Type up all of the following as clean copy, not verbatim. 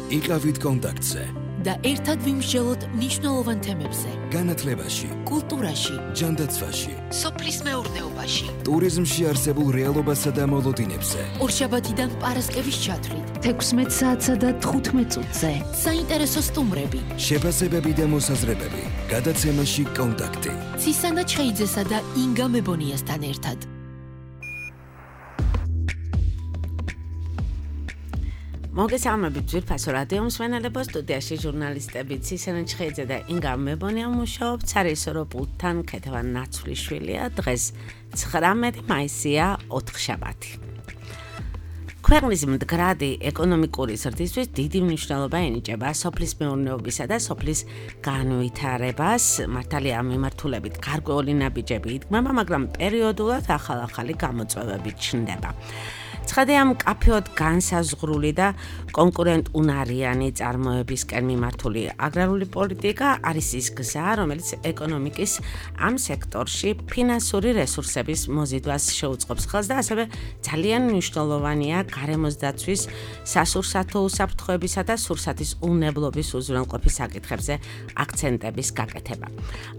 იყავით კონტაქტზე და ერთად ვიმსჯელოთ მნიშვნელოვან თემებზე. განათლებაში, კულტურაში, ჯანდაცვაში, სოფლის მეურნეობაში, ტურიზმში არსებულ რეალობასა და მოლოდინებზე. ორშაბათიდან პარასკევის ჩათვლით, 16 საათსა და 15 წუთზე. საინტერესო სტუმრები, შეფასებები და მოსაზრებები. გადაცემაში კონტაქტი. ცისანა ჩხეიძესა და ინგა მებონიასთან ერთად. მოგესალმებით ძვირფასო რადიო მსმენელებო, სტუდიაში ჟურნალისტები ცისანა ჩხეიძე და ინგა მებონია მუშაობთ სარისორო პულტთან ქეთევან ნაცვლიშვილია. დღეს 19 მაისია, ოთხშაბათი. ქვეყნის მდგრადი ეკონომიკური ზრდისთვის დიდი მნიშვნელობა ენიჭება სოფლის მეურნეობისა და სოფლის განვითარებას. მართალია ამ მიმართულებით გარკვეული ნაბიჯები იდგმება, მაგრამ პერიოდულად ახალ-ახალი გამოწვევები ჩნდება. ცხადია, მკაფიოდ განსაზღვრული და კონკურენტუნარიანი წარმოებისკენ მიმართული აგრარული პოლიტიკა არის ის გზა, რომელიც ეკონომიკის ამ სექტორში ფინანსური რესურსების მოზიდვას შეუწყობს ხელს და ასევე ძალიან მნიშვნელოვანია გარემოს დაცვის, სასურსათო უსაფრთხოებისა და სურსათის უნებლობის უზრუნველყოფის საკითხებზე აქცენტების გაკეთება.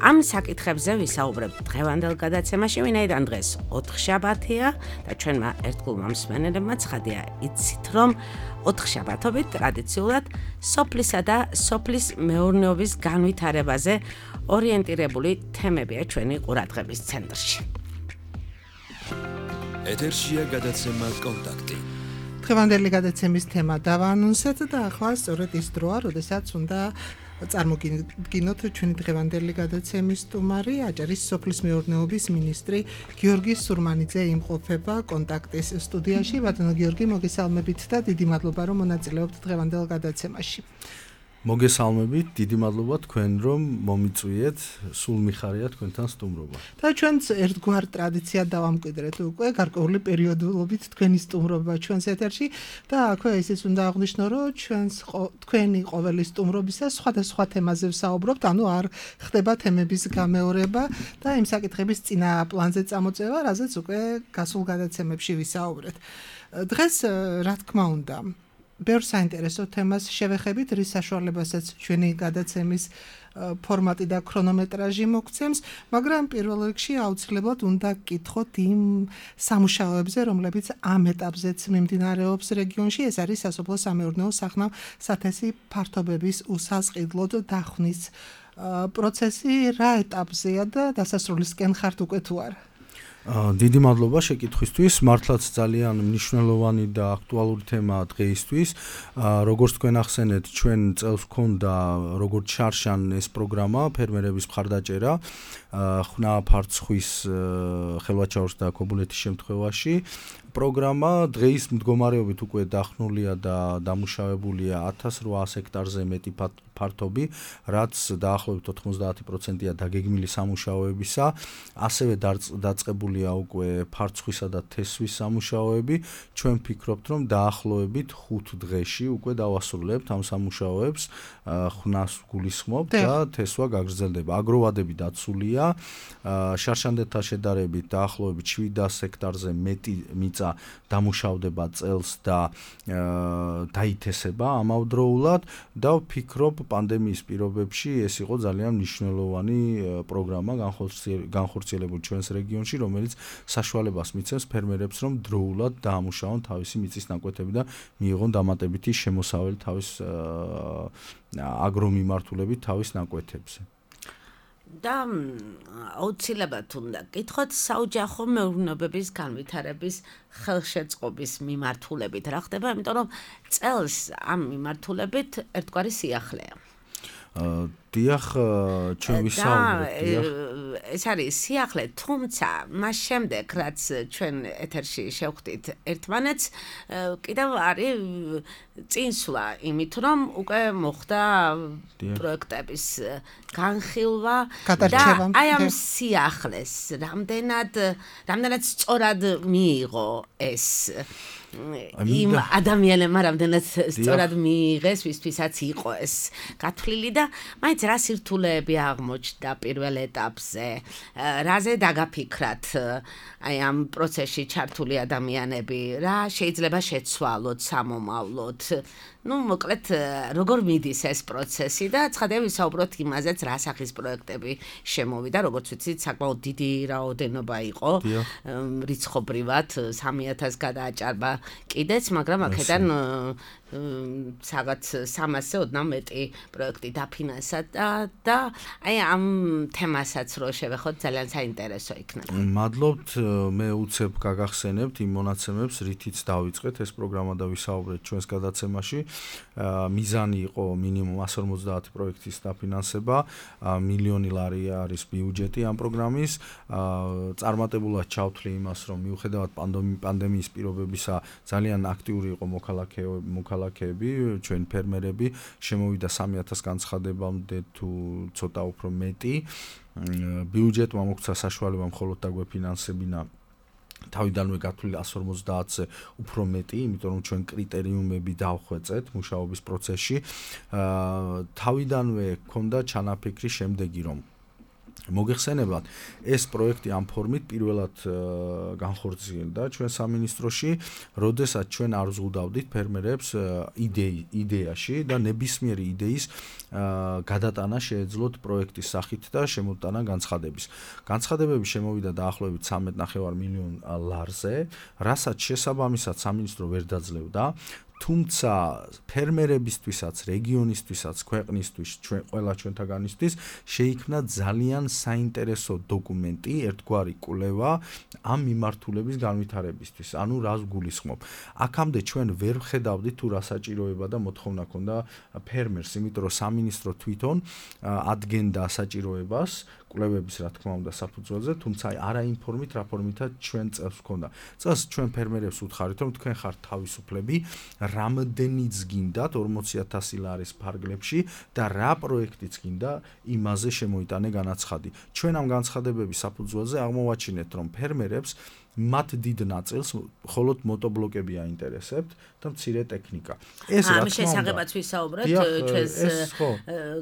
ამ საკითხებზე ვისაუბრებთ დღევანდელ გადაცემაში, ვინაიდან დღეს ოთხშაბათია და ჩვენმა ერთგულმა მსმენელებმა ცხადია იცით, რომ ოთხშაბათობით ტრადიციულად სოფლისა და სოფლის მეურნეობის განვითარებაზე ორიენტირებული თემებია ჩვენი ყურადღების ცენტრში. ეთერშია გადაცემა კონტაქტი. დღევანდელი გადაცემის თემა დავაანონსეთ და ახლა სწორედ ის დროა, როდესაც უნდა წარმოგიდგინოთ ჩვენი დღევანდელი გადაცემის სტუმარი, აჭარის სოფლის მეურნეობის მინისტრი გიორგი სურმანიძე იმყოფება კონტაქტის სტუდიაში. ბატონო გიორგი, მოგესალმებით და დიდი მადლობა, რომ მონაწილეობთ დღევანდელ გადაცემაში. მოგესალმებით, დიდი მადლობა თქვენ, რომ მომიწვიეთ, სულ მიხარია თქვენთან სტუმრობა. და ჩვენც ერთგვარ ტრადიციად დავამკვიდრეთ უკვე გარკვეული პერიოდულობით თქვენი სტუმრობა ჩვენს ეთერში და აქვე ისიც უნდა აღვნიშნო, რომ თქვენი ყოველი სტუმრობისას სხვადასხვა თემაზე ვსაუბრობთ, ანუ არ ხდება თემების გამეორება და იმ საკითხების წინა პლანზე წამოწევა, რაზეც უკვე გასულ გადაცემებში ვისაუბრეთ. დღეს, რა თქმა უნდა, ბევრ საინტერესო თემას შევეხებით, რის საშუალებასაც ჩვენი გადაცემის ფორმატი და ქრონომეტრაჟი მოგცემს, მაგრამ პირველ რიგში აუცილებლად უნდა გკითხოთ იმ სამუშაოებზე, რომლებიც ამ ეტაპზეც მიმდინარეობს რეგიონში. ეს არის სასოფლო-სამეურნეო სახნავ სათესი ფართობების უსასყიდლოდ დახვნის პროცესი. რა ეტაპზეა და დასასრულისკენ ხართ უკვე თუ არა? დიდი მადლობა შეკითხვისთვის. მართლაც ძალიან მნიშვნელოვანი და აქტუალური თემაა დღეისთვის. როგორც თქვენ ახსენეთ, ჩვენ წელს გვქონდა როგორც შარშან ეს პროგრამა ფერმერების მხარდაჭერა ხნა ფარცხვის ხელვაჩაურს და ქობულეთის შემთხვევაში. პროგრამა დღეის მდგომარეობით უკვე დახნულია და დამუშავებულია 1800 ჰექტარზე მეტი ფართობი, რაც დაახლოებით 90%-ია დაგეგმილი სამუშაოებისა. ასევე დაწყებულია უკვე ფარცხვისა და თესვის სამუშაოები. ჩვენ ვფიქრობთ, რომ დაახლოებით 5 დღეში უკვე დავასრულებთ ამ სამუშაოებს, ხნას გულისხმობთ და თესვა გაგრძელდება. აგროვადები დაცულია, შარშანდელთან შედარებით დაახლოებით 700 ჰექტარზე მეტი მიწა დამუშავდება წელს და დაითესება ამავდროულად და ვფიქრობ, პანდემიის პირობებში ეს იყო ძალიან მნიშვნელოვანი პროგრამა განხორციელებული ჩვენს რეგიონში, რომელიც საშუალებას მიცემს ფერმერებს, რომ დროულად დაამუშავონ თავისი მიწის ნაკვეთები და მიიღონ დამატებითი შემოსავალი თავის აგრომიმართულებით თავის ნაკვეთებზე. და აუცილებლად უნდა გკითხოთ საოჯახო მეურნეობების განვითარების ხელშეწყობის მიმართულებით რა ხდება, იმიტომ რომ წელს ამ მიმართულებით ერთგვარი სიახლეა. დიახ, ჩვენ ვისაუბრეთ. ეს არის სიახლე, თუმცა მას შემდეგ, რაც ჩვენ ეთერში შევხვდით ერთმანეთს, კიდევ არის წინსვლა იმით, რომ უკვე მოხდა პროექტების განხილვა და აი ამ სიახლეს რამდენად სწორად მიიღო ეს იმ ადამიანებმა რამდენად სწორად მიიღეს, ვისთვისაც იყო ეს გათვლილი და მაინც რა სირთულეები აღმოჩნდა პირველ ეტაპზე, რაზე დაგაფიქრათ აი ამ პროცესში ჩართული ადამიანები, რა შეიძლება შეცვალოთ სამომავლოდ. მოკლედ, როგორ მიდის ეს პროცესი და ცხადია ვისაუბროთ იმაზეც, რა სახის პროექტები შემოვიდა, როგორც ვიცით, საკმაოდ დიდი რაოდენობა იყო, რიცხობრივად 3000 გადააჭარბა კიდეც, მაგრამ აქედან რაღაც 300-ზე ოდნავ მეტი პროექტი დაფინანსა და აი ამ თემასაც რო შევეხოთ, ძალიან საინტერესო იქნება. მადლობთ, მე უცებ გაგახსენებთ იმ მონაცემებს, რითიც დავიწყეთ ეს პროგრამა და ვისაუბრეთ ჩვენს გადაცემაში. მიზანი იყო მინიმუმ 150 პროექტის დაფინანსება, მილიონი ლარი არის ბიუჯეტი ამ პროგრამის. წარმატებულად ჩავთვლი იმას, რომ მიუხედავად პანდემიის პირობებისა, ძალიან აქტიური იყო მოქალაქეები, ჩვენ ფერმერები, შემოვიდა 3000 განცხადებამდე თუ ცოტა უფრო მეტი. ბიუჯეტმა მოგცა საშუალება მხოლოდ დაგვეფინანსებინა თავიდანვე გათვლილი 150-ზე უფრო მეტი, იმიტომ რომ ჩვენ კრიტერიუმები დავხვეწეთ მუშაობის პროცესში. თავიდანვე ჰქონდა ჩანაფიქრი შემდეგი, რომ მოგეხსენებათ, ეს პროექტი ამ ფორმით პირველად განხორციელდა ჩვენ სამინისტროში, როდესაც ჩვენ არ ვზღუდავდით ფერმერებს იდეაში და ნებისმიერი იდეის გადატანა შეეძლოთ პროექტის სახით და შემოტანა განცხადების. განცხადებები შემოვიდა დაახლოებით 13.5 მილიონ ლარზე, რასაც შესაბამისად სამინისტრო ვერ დაძლევდა. თუმცა ფერმერებისთვისაც, რეგიონისთვისაც, ქვეყნისთვის, ყველა ჩვენთაგანისთვის შეიქმნა ძალიან საინტერესო დოკუმენტი, ერთგვარი კვლევა ამ მიმართულების განვითარებისთვის. ანუ რას გულისხმობ? აქამდე ჩვენ ვერ ვხედავდით თუ რა საჭიროება და მოთხოვნა ქონდა ფერმერს, იმიტომ რომ სამინისტრო თვითონ ადგენდა საჭიროებას კვლევების რა თქმა უნდა საფუძველზე, თუმცა არა იმ ფორმით, რა ფორმითაც ჩვენ წელს ვქონდა. წელს ჩვენ ფერმერებს უთხარით, რომ თქვენ ხართ თავისუფლები, რამდენიც გინდათ 40,000 ლარის ფარგლებში და რა პროექტიც გინდა, იმაზე შემოიტანე განაცხადი. ჩვენ ამ განცხადებების საფუძველზე აღმოვაჩინეთ, რომ ფერმერებს მათ დიდ ნაწილს მხოლოდ მოტობლოკები აინტერესებთ და მცირე ტექნიკა. ეს რა თქმა უნდა. ამის შესახებაც ვისაუბრეთ ჩვენს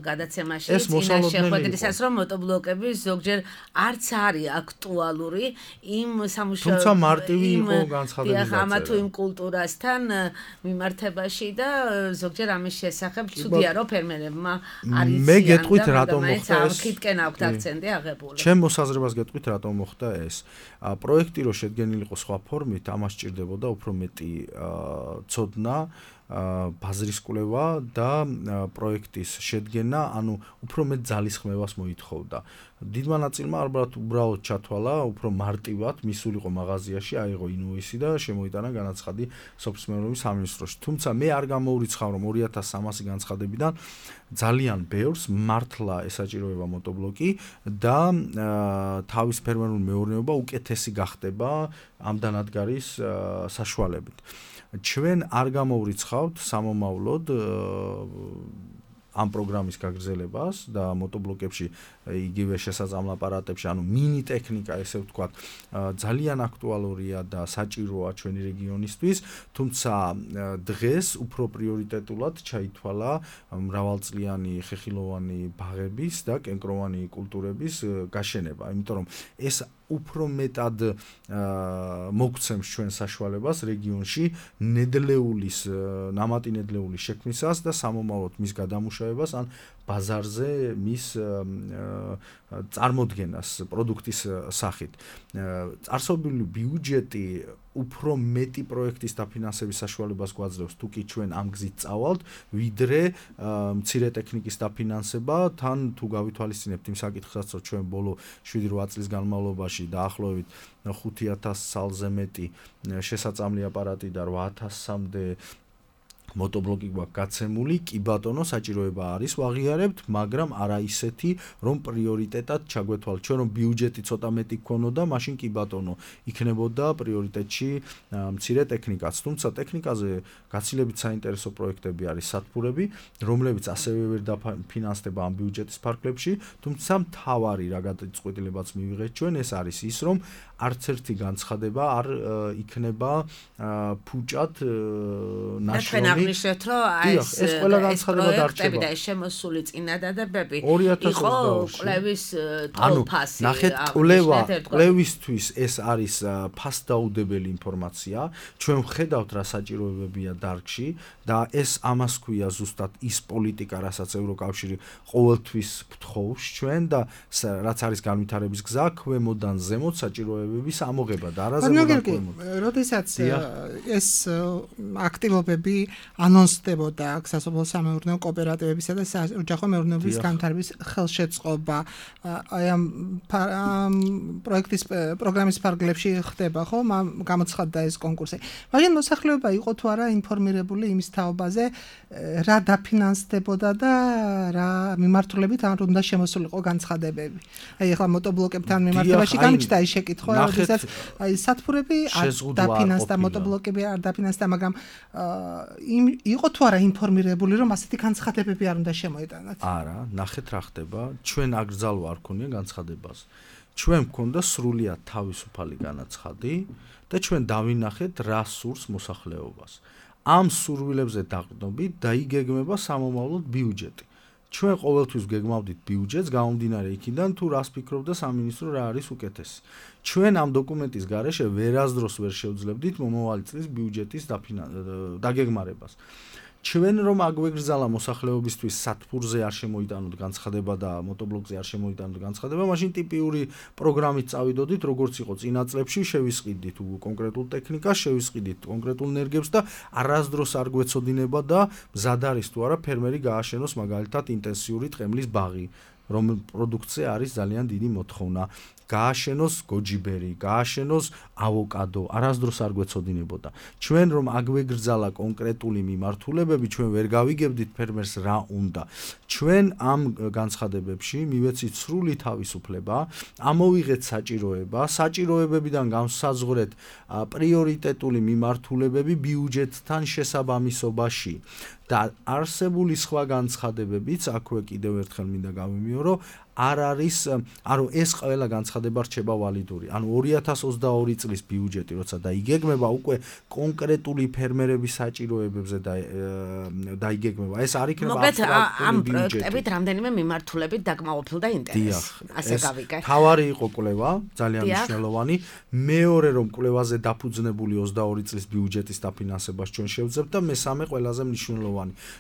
გადაცემაში, წინა შეხვედრისას, რომ მოტობლოკები ზოგჯერ არც არის აქტუალური იმ სამუშაო თუმცა მარტივი იყო განცხადების დაწერა. ამა თუ იმ კულტურასთან მიმართებაში და ზოგჯერ ამის შესახებ ცუდია რომ ფერმერებმა არის მე გეტყვით რატომ მოხდა ეს. აქეთკენ აქვს აქცენტი აღებული. ჩემ მოსაზრებას გეტყვით რატომ მოხდა ეს. პროექტი რო შედგენილიყო სხვა ფორმით, ამას სჭირდებოდა უფრო მეტი ცოდნა, ბაზრის კვლევა და პროექტის შედგენა, ანუ უფრო მეტ ძალისხმევას მოითხოვდა. დიდმა ნაწილმა ალბათ უბრალოდ ჩათვალა, უფრო მარტივად მისულიყო მაღაზიაში, აიღო ინვოისი და შემოიტანა განაცხადი სოფლის მეურნეობის სამინისტროში. თუმცა მე არ გამოურიცხავ, რომ 2300 განცხადებიდან ძალიან ბევრს მართლა ესაჭიროება მოტობლოკი და თავის ფერმერული მეურნეობა უკეთესი გახდება ამ დანადგარის საშუალებით. ჩვენ არ გამოურიცხავთ სამომავლოდ ამ პროგრამის გაგრძელებას და მოტობლოკებში იგივე შესაძლო აპარატებში, ანუ მინი ტექნიკა, ესე ვთქვათ, ძალიან აქტუალურია და საჭიროა ჩვენი რეგიონისთვის, თუმცა დღეს უფრო პრიორიტეტულად ჩაითვალა მრავალწლიანი ხეხილოვანი ბაღების და კენკროვანი კულტურების გაშენება, იმიტომ რომ ეს უფრო მეტად მოგცემს ჩვენ საშუალებას რეგიონში ნამატი ნედლეულის შექმნისას და სამომავლოდ მის გადამუშავებას ან ბაზარზე მის წარმოდგენას პროდუქტის სახით. წარსობილი ბიუჯეტი უფრო მეტი პროექტის დაფინანსების საშუალებას გვაძლევს, თუ კი ჩვენ ამ გზით წავალთ, ვიდრე მცირე ტექნიკის დაფინანსება, თან თუ გავითვალისწინებთ იმ საკითხსაც, რომ ჩვენ ბოლო 7-8 წლის განმავლობაში დაახლოებით 5000 სალზე მეტი შესაწამლი აპარატი და 8000-მდე motobloggi გვაქვს გაცემული, კი ბატონო, საჭიროება არის ვაღიარებთ, მაგრამ არა ისეთი, რომ პრიორიტეტად ჩაგვეთვალ. ჩვენ რომ ბიუჯეტი ცოტა მეტი გქონოდა, მაშინ კი ბატონო, იქნებოდა პრიორიტეტში მცირე ტექნიკაც. თუმცა ტექნიკაზე გაცილებით საინტერესო პროექტები არის სათბურები, რომლებიც ასევე ვერ დაფინანსდება ამ ბიუჯეტის ფარგლებში, თუმცა მთავარი რა გადაწყვეტილებაც მივიღეთ ჩვენ, ეს არის ის, რომ არც ერთი განცხადება არ იქნება ფუჭად ნაშრომი. აღნიშნეთ, რომ ეს ყველა განცხადება დარჩება და შემოსული წინადადებები იყო კვლევის თვალფასი. ნახეთ, კვლევისთვის ეს არის ფასდაუდებელი ინფორმაცია. ჩვენ ვხედავთ რა საჭიროებებია დარგში და ეს ამას ქვია ზუსტად ის პოლიტიკა, რასაც ევროკავშირი ყოველთვის გთხოვს ჩვენ და რაც არის განვითარების გზა, ქვემოდან ზემოთ საჭიროებების ამოღება და არაზემოდან ქვემოთ. როდესაც ეს აქტივობები ანონსდებოდა სასოფლო-სამეურნეო კოოპერატივებისა და საოჯახო მეურნეობის განვითარების ხელშეწყობა აი ამ პროექტის პროგრამის ფარგლებში ხდება, ხო? გამოცხადდა ეს კონკურსი. მაგრამ მოსახლეობა იყო თუ არა ინფორმირებული იმის თაობაზე, რა დაფინანსდებოდა და რა მიმართულებით არ უნდა შემოსულიყო განცხადებები. აი ახლა motoblogებთან მიმართებაში გამიჩნდა ის შეკითხვა, როდესაც აი სათბურები არ დაფინანსდა, motoblogები არ დაფინანსდა, მაგრამ იყო თუ არა ინფორმირებული, რომ ასეთი განცხადებები არ უნდა შემოეტანათ? არა, ნახეთ რა ხდება. ჩვენ აკრძალვა არ ქონია განცხადებას. ჩვენ მქონდა სრულიად თავისუფალი განაცხადი და ჩვენ დავინახეთ რა სურს მოსახლეობას. ამ სურვილებზე დაყრდნობით დაიგეგმება სამომავლოდ ბიუჯეტი. ჩვენ ყოველთვის გეგმავდით ბიუჯეტს, გამომდინარე იქიდან თუ რას ფიქრობდა სამინისტრო რა არის უკეთესი. ჩვენ ამ დოკუმენტის გარეშე ვერასდროს ვერ შევძლებდით მომავალი წლის ბიუჯეტის დაგეგმარებას. ჩვენ რომ აგვეგრძალა მოსახლეობისთვის სათბურზე არ შემოიტანოთ განცხადება და motoblogზე არ შემოიტანოთ განცხადება, მაშინ ტიპიური პროგრამით წავიდოდით, როგორც იყო წინა წლებში, შევისყიდით კონკრეტულ ტექნიკას, შევისყიდით კონკრეტულ ნერგებს და არასდროს არ გვეცოდინება და მზად არის თუ არა ფერმერი გააშენოს მაგალითად ინტენსიური ტყემლის ბაღი, რომ პროდუქცია არის ძალიან დიდი მოთხოვნა. გააშენოს გოჯიბერი, გააშენოს ავოკადო, არასდროს არ გვეცოდინებოდა. ჩვენ რომ აგვეგრძალა კონკრეტული მიმართულებები, ჩვენ ვერ გავიგებდით ფერმერს რა უნდა. ჩვენ ამ განცხადებებში მივეცით სრული თავისუფლება, ამოვიღეთ საჭიროება, საჭიროებებიდან განსაზღვრეთ პრიორიტეტული მიმართულებები ბიუჯეტთან შესაბამისობაში. და არსებული სხვა განცხადებებიც, აქვე კიდევ ერთხელ მინდა გავიმეორო, არ არის, ანუ ეს ყველა განცხადება რჩება ვალიდური. ანუ 2022 წლის ბიუჯეტი, როცა დაიგეგმება, უკვე კონკრეტული ფერმერების საჭიროებებზე დაიგეგმება. ეს არ იქნება ამ პროექტებით რამდენიმე მიმართულებით დაკმაყოფილდა ინტერესი. ასე გავიგე. თავარი იყო კვლევა, ძალიან მნიშვნელოვანი. მეორე რომ კვლევაზე დაფუძნებული 22 წლის ბიუჯეტის დაფინანსებას ჩვენ შევძლებთ და მესამე ყველაზე მნიშვნელოვანი.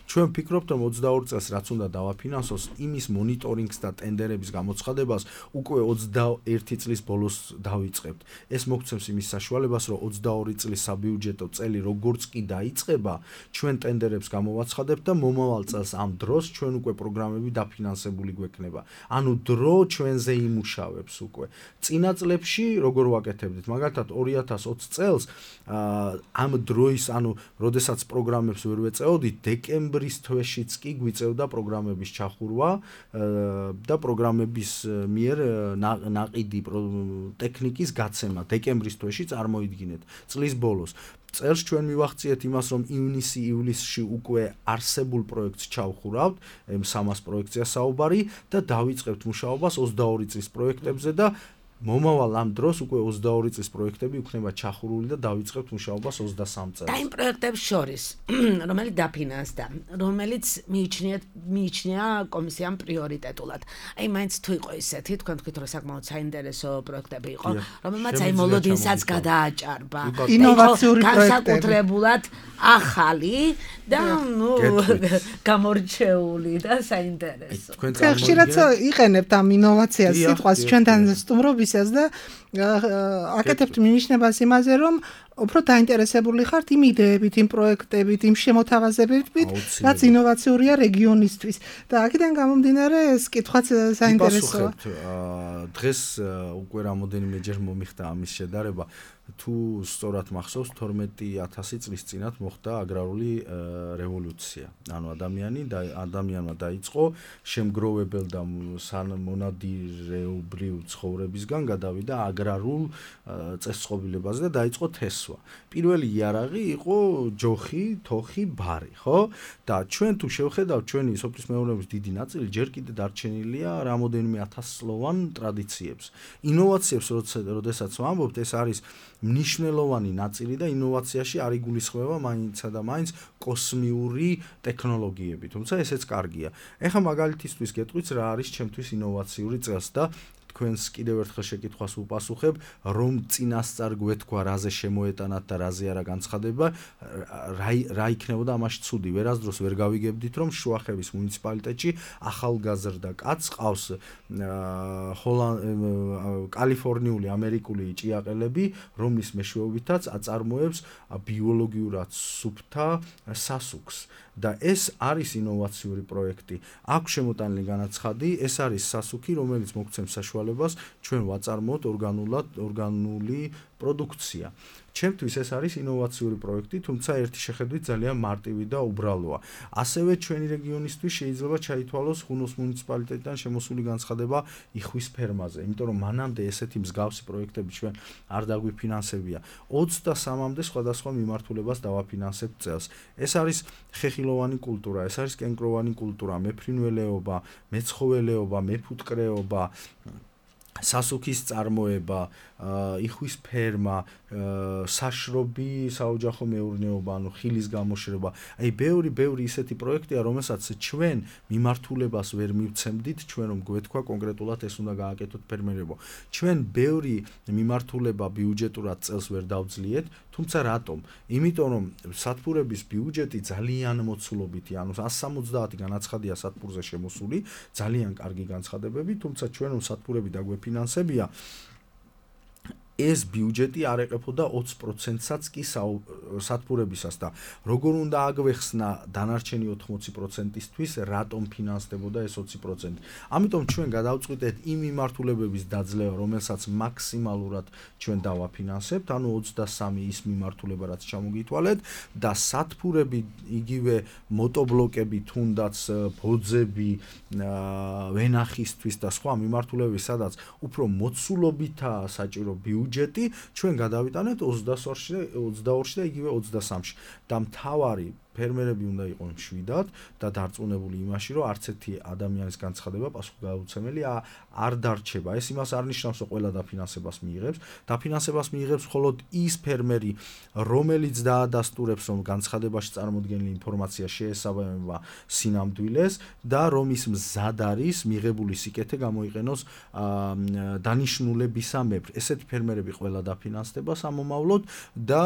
ჩვენ ვფიქრობთ, რომ 22 წელს რაც უნდა დავაფინანსოს, იმის მონიტორინგს და ტენდერების გამოცხადებას უკვე 21 წლის ბოლოს დავიწყებთ. ეს მოგცემს იმის საშუალებას, რომ 22 წლის საბიუჯეტო წელი როგორც კი დაიწყება, ჩვენ ტენდერებს გამოვაცხადებთ და მომავალ წელს ამ დროს ჩვენ უკვე პროგრამები დაფინანსებული გვექნება. ანუ დრო ჩვენზე იმუშავებს უკვე. წინა წლებში როგორ ვაკეთებდით? მაგალითად 2020 წელს ამ დროის, ანუ როდესაც პროგრამებს ვერ ვეწეოდით, დეკემბრის თვეშიც კი გვიწევდა პროგრამების ჩახურვა და პროგრამების მიერ ნაყიდი ტექნიკის გაცემა დეკემბრის თვეში წარმოიდგინეთ წლის ბოლოს. წელს ჩვენ მივახციეთ იმას, რომ ივნისი-ივლისში უკვე არსებულ პროექტს ჩავხურავთ, M300 პროექტია საუბარი და დავიწყებთ მუშაობას 22 წლის პროექტებზე და მომავალ ამ დროს უკვე 22 წლის პროექტები იქნება ჩახურული და დავიწყებთ მუშაობას 23 წელს. და იმ პროექტებს შორის, რომელიც დაფინანსდა, რომელიც მიიჩნია კომისიამ პრიორიტეტულად. აი მაინც თუ იყო ისეთი, თქვენ თქვით რომ საკმაოდ საინტერესო პროექტები იყო, რომელმაც აი მოლოდინსაც გადააჭარბა. ინოვაციური პროექტები. განსაკუთრებულად ახალი და გამორჩეული და საინტერესო. ხშირად იყენებთ ამ ინოვაციას სიტყვას ჩვენთან სტუმრობისას და აკეთებთ მინიშნებას იმაზე, რომ უფრო დაინტერესებული ხართ იმ იდეებით, იმ პროექტებით, იმ შემოთავაზებებით, რაც ინოვაციურია რეგიონისთვის. და აქედან გამომდინარე ეს კითხვაც საინტერესოა. დღეს უკვე რამოდენიმეჯერ მომიხდა ამის შედარება. თუ სწორად მახსოვს 12000 წლის წინათ მოხდა აგრარული რევოლუცია. ანუ ადამიანმა დაიწყო შემგროვებელ და მონადირეობრივ ცხოვრებისგან გადავიდა აგრარულ წესწყობილებაზე და დაიწყო თესვა. პირველი იარაღი იყო ჯოხი, თოხი, ბარი, ხო? და ჩვენ თუ შევხედავთ ჩვენი სოფლის მეურნეობის დიდი ნაწილი ჯერ კიდე დარჩენილია რამოდენიმე ათასწლოვან ტრადიციებს. ინოვაციებს როდესაც ვამბობთ, ეს არის მნიშვნელოვანი ნაწილი და ინოვაციაში არ იგულისხმება მაინცსა და მაინც კოსმიური ტექნოლოგიები, თუმცა ესეც კარგია. ეხლა მაგალითისთვის გეტყვით რა არის ჩემთვის ინოვაციური წელს და თქვენს კიდევ ერთხელ შეკითხვას ვუპასუხებ, რომ წინასწარ გვეთქვა რაზე შემოეტანათ და რაზე არა განცხადება, რა იქნებოდა ამაში ცუდი. ვერასდროს ვერ გავიგებდით, რომ შუახევის მუნიციპალიტეტში ახალგაზრდა კაცს ყავს კალიფორნიული ამერიკული ჭიაყელები, რომლის მეშვეობითაც აწარმოებს ბიოლოგიურად სუფთა სასუქს. და ეს არის ინოვაციური პროექტი. აქვს შემოტანილი განაცხადი, ეს არის სასუქი, რომელიც მოგცემს საშუალებას ჩვენ ვაწარმოოთ ორგანული პროდუქცია. ჩემთვის ეს არის ინოვაციური პროექტი, თუმცა ერთი შეხედვით ძალიან მარტივი და უბრალოა. ასევე ჩვენი რეგიონისთვის შეიძლება ჩაითვალოს ხუნოს მუნიციპალიტეტიდან შემოსული განცხადება იხვის ფერმაზე, იმიტომ რომ მანამდე ესეთი მსგავსი პროექტები ჩვენ არ დაგვიფინანსებია. 23-მდე სხვადასხვა მიმართულებას დავაფინანსებთ წელს. ეს არის ხეხილოვანი კულტურა, ეს არის კენკროვანი კულტურა, მეფრინველეობა, მეცხოველეობა, მეფუტკრეობა, სასუქის წარმოება, იხვის ფერმა, საშრობი საოჯახო მეურნეობა, ანუ ხილის გამოშვება. აი ბევრი ისეთი პროექტია, რომელსაც ჩვენ მიმართულებას ვერ მივცემდით, ჩვენ რომ გვეთქვა კონკრეტულად ეს უნდა გააკეთოთ ფერმერებო. ჩვენ ბევრი მიმართულება ბიუჯეტურად წელს ვერ დავძლიეთ, თუმცა რატომ? იმიტომ რომ სათბურების ბიუჯეტი ძალიან მოცულობითი, ანუ 170 განაცხადია სათბურზე შემოსული, ძალიან კარგი განცხადებები, თუმცა ჩვენ რომ სათბურები დაგვეფინანსებია, ეს ბიუჯეტი არ ეყებოდა 20%-საც კი სათბურებისას და როგორ უნდა აგვეხსნა დანარჩენი 80%-ისთვის, რატომ ფინანსდებოდა ეს 20%. ამიტომ ჩვენ გადავწყვიტეთ იმ მიმართულებების დაძლევა, რომელსაც მაქსიმალურად ჩვენ დავაფინანსებთ, ანუ 23 ის მიმართულება, რაც ჩამოგითვალეთ და სათბურები, იგივე მოტობლოკები, თუნდაც ბოძები, ვენახისთვის და სხვა მიმართულებები, სადაც უფრო მოცულობითაა საჭირო ბიუჯეტი, ჩვენ გადავიტანეთ 22-ში და იგივე 23-ში. და მთავარი ფერმერები უნდა იყვნენ მშვიდად და დარწმუნებული იმაში, რომ არც ერთი ადამიანის განცხადება პასუხგადაცემელი არ დარჩება. ეს იმას არ ნიშნავს, რომ ყველა დაფინანსებას მიიღებს. დაფინანსებას მიიღებს მხოლოდ ის ფერმერი, რომელიც დაადასტურებს, რომ განცხადებაში წარმოდგენილი ინფორმაცია შეესაბამება სინამდვილეს და რომ ის მზად არის მიღებული სიკეთე გამოიყენოს დანიშნულებისამებრ. ესეთი ფერმერები ყველა დაფინანსდება სამომავლოდ და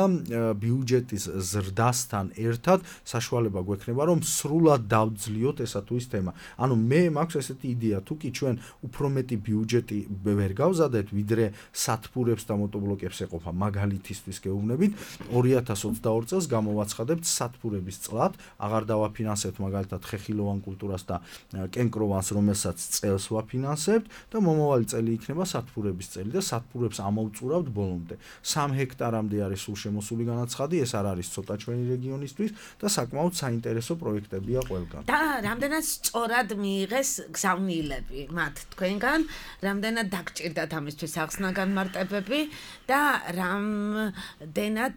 ბიუჯეტის ზრდასთან ერთად საშუალება გვექნება, რომ სრულად დავძლიოთ ესა თუ ის თემა. ანუ მე მაქვს ესეთი იდეა, თუ კი ჩვენ უფრო მეტი ბიუჯეტი ვერ გავზადეთ, ვიდრე სათბურებს და მოტობლოკებს ეყოფა, მაგალითისთვის გეუბნებით, 2022 წელს გამოვაცხადებთ სათბურების წლად, აღარ დავაფინანსებთ მაგალითად ხეხილოვან კულტურას და კენკროვანს, რომელსაც წელს ვაფინანსებთ და მომავალი წელი იქნება სათბურების წელი და სათბურებს ამოვწურავთ ბოლომდე. 3 ჰექტარამდე არის სულ შემოსული განაცხადი, ეს არ არის ცოტა ჩვენი რეგიონისთვის და საკმაოდ საინტერესო პროექტებია ყველგან. და რამდენად სწორად მიიღეს გზავნილები მათ თქვენგან, რამდენად დაგჭირდათ ამისთვის ახსნა განმარტებები და რამდენად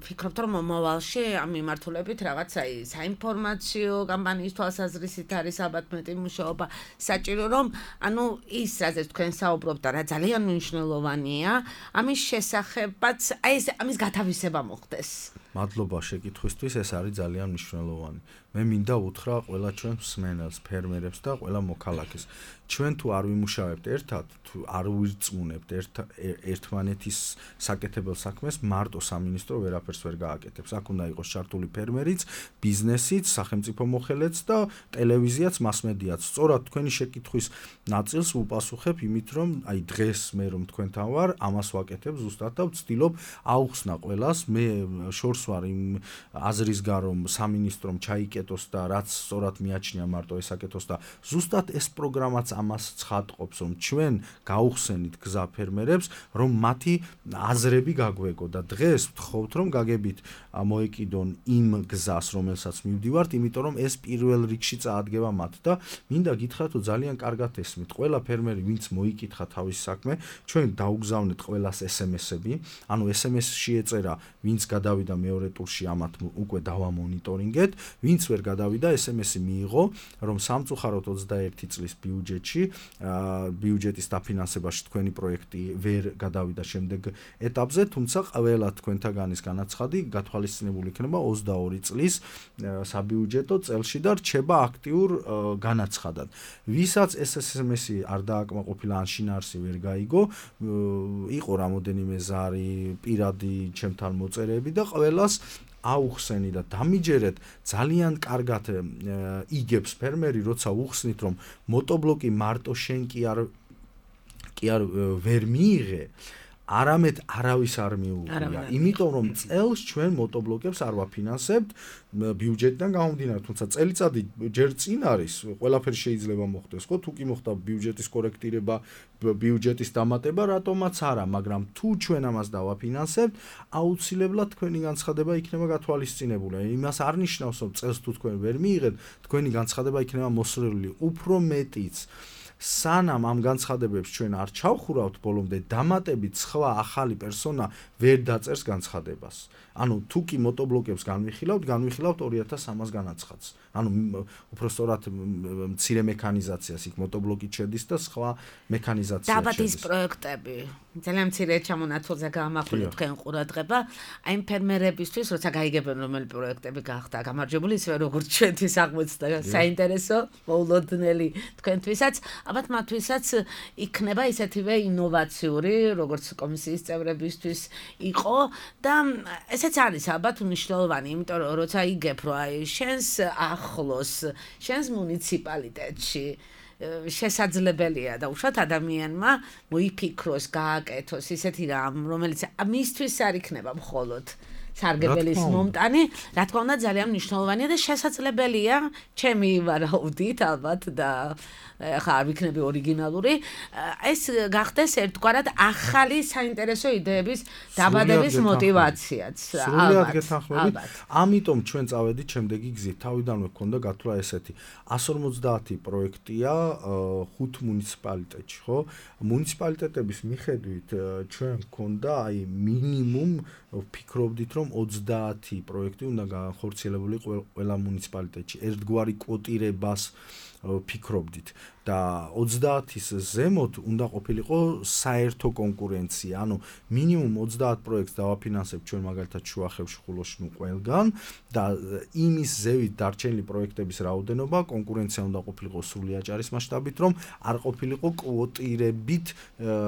ფიქრობთ, რომ მომავალში ამ მიმართულებით რაღაც საინფორმაციო კამპანიის თვალსაზრისით არის ალბათ მეტი მუშაობა საჭირო, რომ ანუ ის რაზეც თქვენ საუბრობთ და რა ძალიან მნიშვნელოვანია, ამის შესახებაც ამის გათავისება მოხდეს. მადლობა შეკითხვისთვის, ეს არის ძალიან მნიშვნელოვანი. მე მინდა უთხრა ყველა ჩვენ მსმენელს, ფერმერებს და ყველა მოქალაქეს. ჩვენ თუ არ ვიმუშავებთ ერთად, თუ არ ვირწმუნებთ ერთმანეთის საკეთებელ საქმეს, მარტო სამინისტრო ვერაფერს ვერ გააკეთებს. აქ უნდა იყოს ჩართული ფერმერიც, ბიზნესიც, სახელმწიფო მოხელეც და ტელევიზიაც, მასმედიაც. სწორად თქვენი შეკითხვის ნაწილს ვუპასუხებ იმით, რომ აი დღეს მე რომ თქვენთან ვარ, ამას ვაკეთებ ზუსტად და ვცდილობ აუხსნა ყველას. მე შორს ვარ იმ აზრისგან, რომ სამინისტრომ ჩაიკეთოს და რაც სწორად მიაჩნია მარტო ესაკეთოს და ზუსტად ეს პროგრამაც ამას ცხადყოფს, რომ ჩვენ გაუხსენით გზა ფერმერებს, რომ მათი აზრები გაგვეგო და დღეს ვთხოვთ, რომ გაგებით მოეკიდონ იმ გზას, რომელსაც მივდივართ, იმიტომ რომ ეს პირველ რიგში წაადგება მათ და მინდა გითხრათ, რომ ძალიან კარგად ესმით. ყველა ფერმერი, ვინც მოიკითხა თავის საქმე, ჩვენ დაუგზავნეთ ყველას SMS-ები, ანუ SMS-ში ეწერა, ვინც გადავიდა მეორე ტურში, ამათ უკვე დავამონიტორინგეთ, ვინც ვერ გადავიდა, SMS-ი მიიღო, რომ სამწუხაროდ 21 წლის ბიუჯეტში, ბიუჯეტის დაფინანსებაში თქვენი პროექტი ვერ გადავიდა შემდეგ ეტაპზე, თუმცა ყველა თქვენთაგანის განაცხადი გათვალისწინებული იქნება 22 წლის საბიუჯეტო წელში და რჩება აქტიურ განაცხადად. ვისაც ეს SMS-ი არ დააკმაყოფილა ან შინაარსი ვერ გაიგო, იყო რამოდენიმე ზარი პირადი ჩემთან მოწერები და ყველას აუხსენი და დამიჯერეთ, ძალიან კარგად იგებს ფერმერი, როცა უხსნით, რომ motoblok-ი მარტო შენ კი არ ვერ მიიღე, არამედ არავის არ მიუღია. იმიტომ რომ წელს ჩვენ motoblok-ებს არ ვაფინანსებთ ბიუჯეტიდან გამომდინარე, თუმცა წელიწადი ჯერ წინ არის, ყველაფერი შეიძლება მოხდეს, ხო? თუ კი მოხდა ბიუჯეტის კორექტირება, ბიუჯეტის დამატება, რატომაც არა, მაგრამ თუ ჩვენ ამას დავაფინანსებთ, აუცილებლად თქვენი განცხადება იქნება გათვალისწინებული. იმას არ ნიშნავს, რომ წელს თუ თქვენ ვერ მიიღეთ, თქვენი განცხადება იქნება მოსროლილი. უფრო მეტიც სანამ ამ განცხადებებს ჩვენ არ ჩავხურავთ ბოლომდე, დამატებით სხვა ახალი პერსონა ვერ დაწერს განცხადებას. ანუ თუ კი motoblok-ებს განვიხილავთ 2300 განაცხადს. ანუ უпростоრად მცირე მექანიზაციას იქ motoblok-ით შედის და სხვა მექანიზაცია შედის. დაბადის პროექტები ძალიან მცირე ჩამონათვალზე გაამახვილეთ თქვენ ყურადღება, აი იმ ფერმერებისთვის, როცა გაიგებენ რომელი პროექტები გახდა გამარჯვებული, ისე როგორც ჩვენთვის აღმოჩნდა საინტერესო, მოულოდნელი თქვენთვისაც, ალბათ მათთვისაც იქნება ისეთივე ინოვაციური, როგორც კომისიის წევრებისთვის იყო და ესეც არის ალბათ მნიშვნელოვანი, იმიტომ რომ როცა იგებ, რომ აი შენს ახლოს, შენს მუნიციპალიტეტში შესაძლებელია და უშუალოდ ადამიანმა მოიფიქროს, გააკეთოს ისეთი რამ, რომელიც მისთვის არ იქნება მხოლოდ სარგებელის მომტანი, რა თქმა უნდა ძალიან მნიშვნელოვანია და შესაძლებელია, ჩემი ვარაუდით ალბათ და ხა არ ვიქნები ორიგინალური, ეს გახდეს ერთგვარად ახალი საინტერესო იდეების დაბადების мотиваციაც. სრულიად გეთანხმებით. ამიტომ ჩვენ წავედით შემდეგი გზით. თავიდანვე გქონდა გათვლა ესეთი 150 პროექტია 5 მუნიციპალიტეტში, ხო? მუნიციპალიტეტების მიხედვით ჩვენ გქონდა აი მინიმუმ ვფიქრობდით, რომ 30 პროექტი უნდა განხორციელებულიყო ყველა მუნიციპალიტეტში. ერთგვარი კვოტირებას ვფიქრობდით და 30-ის ზემოთ უნდა ყოფილიყო საერთო კონკურენცია. ანუ მინიმუმ 30 პროექტს დავაფინანსებთ ჩვენ მაგალითად შუახევში, ხულოში, ყველგან და იმის ზევით დარჩენილი პროექტების რაოდენობა კონკურენცია უნდა ყოფილიყო სრული აჭარის მასშტაბით, რომ არ ყოფილიყო კვოტირებით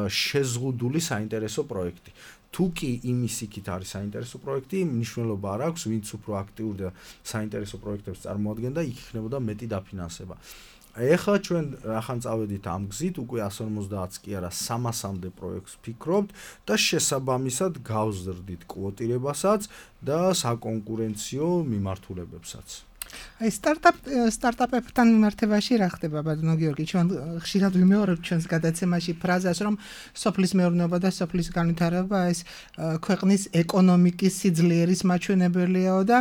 შეზღუდული საინტერესო პროექტი. თუ კი იმის იქით არის საინტერესო პროექტი, მნიშვნელობა არ აქვს, ვინც უფრო აქტიური და საინტერესო პროექტებს წარმოადგენდა, იქ იქნებოდა მეტი დაფინანსება. ეხლა ჩვენ რახან წავედით ამ გზით, უკვე 150-ს კი არა 300-მდე პროექტს ვფიქრობთ და შესაბამისად გავზრდით კვოტირებასაც და საკონკურენციო მიმართულებებსაც. აი სტარტაპებთან მიმართებაში რა ხდება ბატონო გიორგი? ჩვენ ხშირად ვიმეორებთ ჩვენს გადაცემაში ფრაზას, რომ სოფლის მეურნეობა და სოფლის განვითარება ეს ქვეყნის ეკონომიკის სიძლიერის მაჩვენებელია და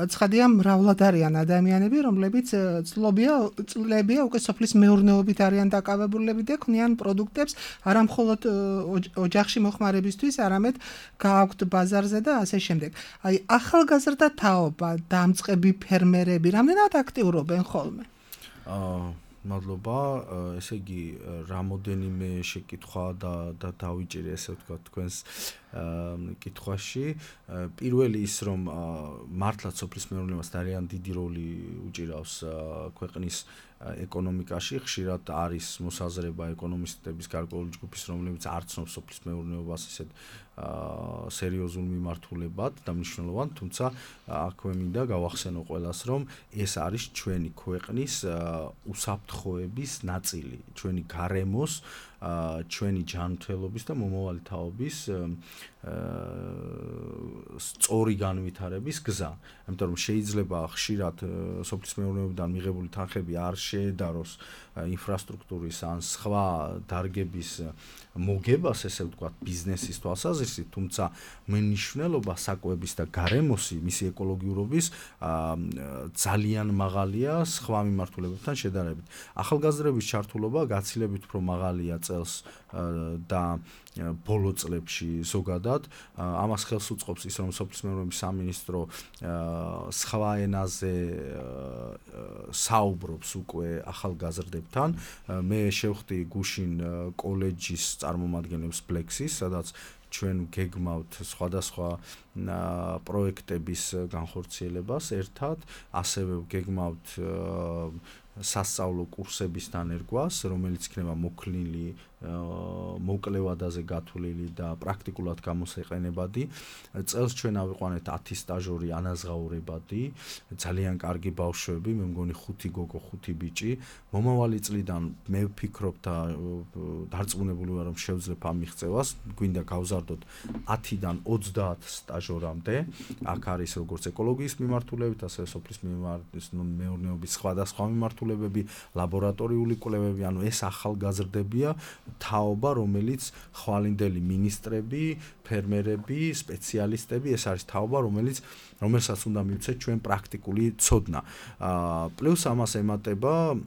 ცხადია მრავლად არიან ადამიანები, რომლებიც წლებია უკვე სოფლის მეურნეობით არიან დაკავებულები და ქმნიან პროდუქტებს არა მხოლოდ ოჯახში მოხმარებისთვის, არამედ გააქვთ ბაზარზე და ასე შემდეგ. აი ახალგაზრდა თაობა, დამწყები ფერმერები რამდენად აქტიურობენ ხოლმე? მადლობა, ესე იგი რამოდენიმე შეკითხვა და დავიჭირე ესე ვთქვათ თქვენს კითხვაში. პირველი ის, რომ მართლაც სოფლის მეურნეობას ძალიან დიდი როლი უჭირავს ქვეყნის ეკონომიკაში, ხშირად არის მოსაზრება ეკონომისტების გარკვეული ჯგუფის, რომლებიც არ ცნობს სოფლის მეურნეობას ისეთ სერიოზულ მიმართულებად და მნიშვნელოვან, თუმცა აქვე მინდა გავახსენო ყველას, რომ ეს არის ჩვენი ქვეყნის უსაფრთხოების ნაწილი, ჩვენი გარემოს, ჩვენი ჯანმრთელობის და მომავალი თაობის სწორი განვითარების გზა. ამიტომ შეიძლება ხშირად სოფლის მეურნეობიდან მიღებული თანხები არ შეედაროს ინფრასტრუქტურის ან სხვა დარგების მოგებას, ესე ვთქვათ, ბიზნესის თვალსაზრისით, თუმცა მნიშვნელობა საკვების და გარემოსი, მისი ეკოლოგიურობის ძალიან მაღალია სხვა მიმართულებებთან შედარებით. ახალგაზრდების ჩართულობა გაცილებით უფრო მაღალია წელს და ბოლო წლებში ზოგადად. ამას ხელს უწყობს ის, რომ სოფლის მეურნეობის სამინისტრო სხვა ენაზე საუბრობს უკვე ახალგაზრდებთან. მე შევხვდი გუშინ კოლეჯის წარმომადგენლებს Plexis, სადაც ჩვენ გეგმავთ სხვადასხვა პროექტების განხორციელებას ერთად, ასევე გეგმავთ სასწავლო კურსების დანერგვას, რომელიც იქნება მოკლილი, მოკლევადაზე გათვლილი და პრაქტიკულად გამოსაყენებადი. წელს ჩვენ ავიყვანეთ 10 სტაჟორი ანაზღაურებადი, ძალიან კარგი ბავშვები, მე მგონი 5 გოგო, 5 ბიჭი. მომავალი წლიდან მე ვფიქრობ და დარწმუნებული ვარ, რომ შევძლებ ამ მიღწევას. გვინდა გავზარდოთ 10-დან 30 სტაჟორამდე. აქ არის როგორც ეკოლოგიის მიმართულებით, ასევე სოფლის მეურნეობის სხვადასხვა მიმართულებები, ლაბორატორიული კვლევები, ანუ ეს ახალგაზრდებია, თაობა, რომელიც ხვალინდელი მინისტრები, ფერმერები, სპეციალისტები, ეს არის თაობა, რომელსაც უნდა მივცეთ ჩვენ პრაქტიკული ცოდნა. პლუს ამას ემატება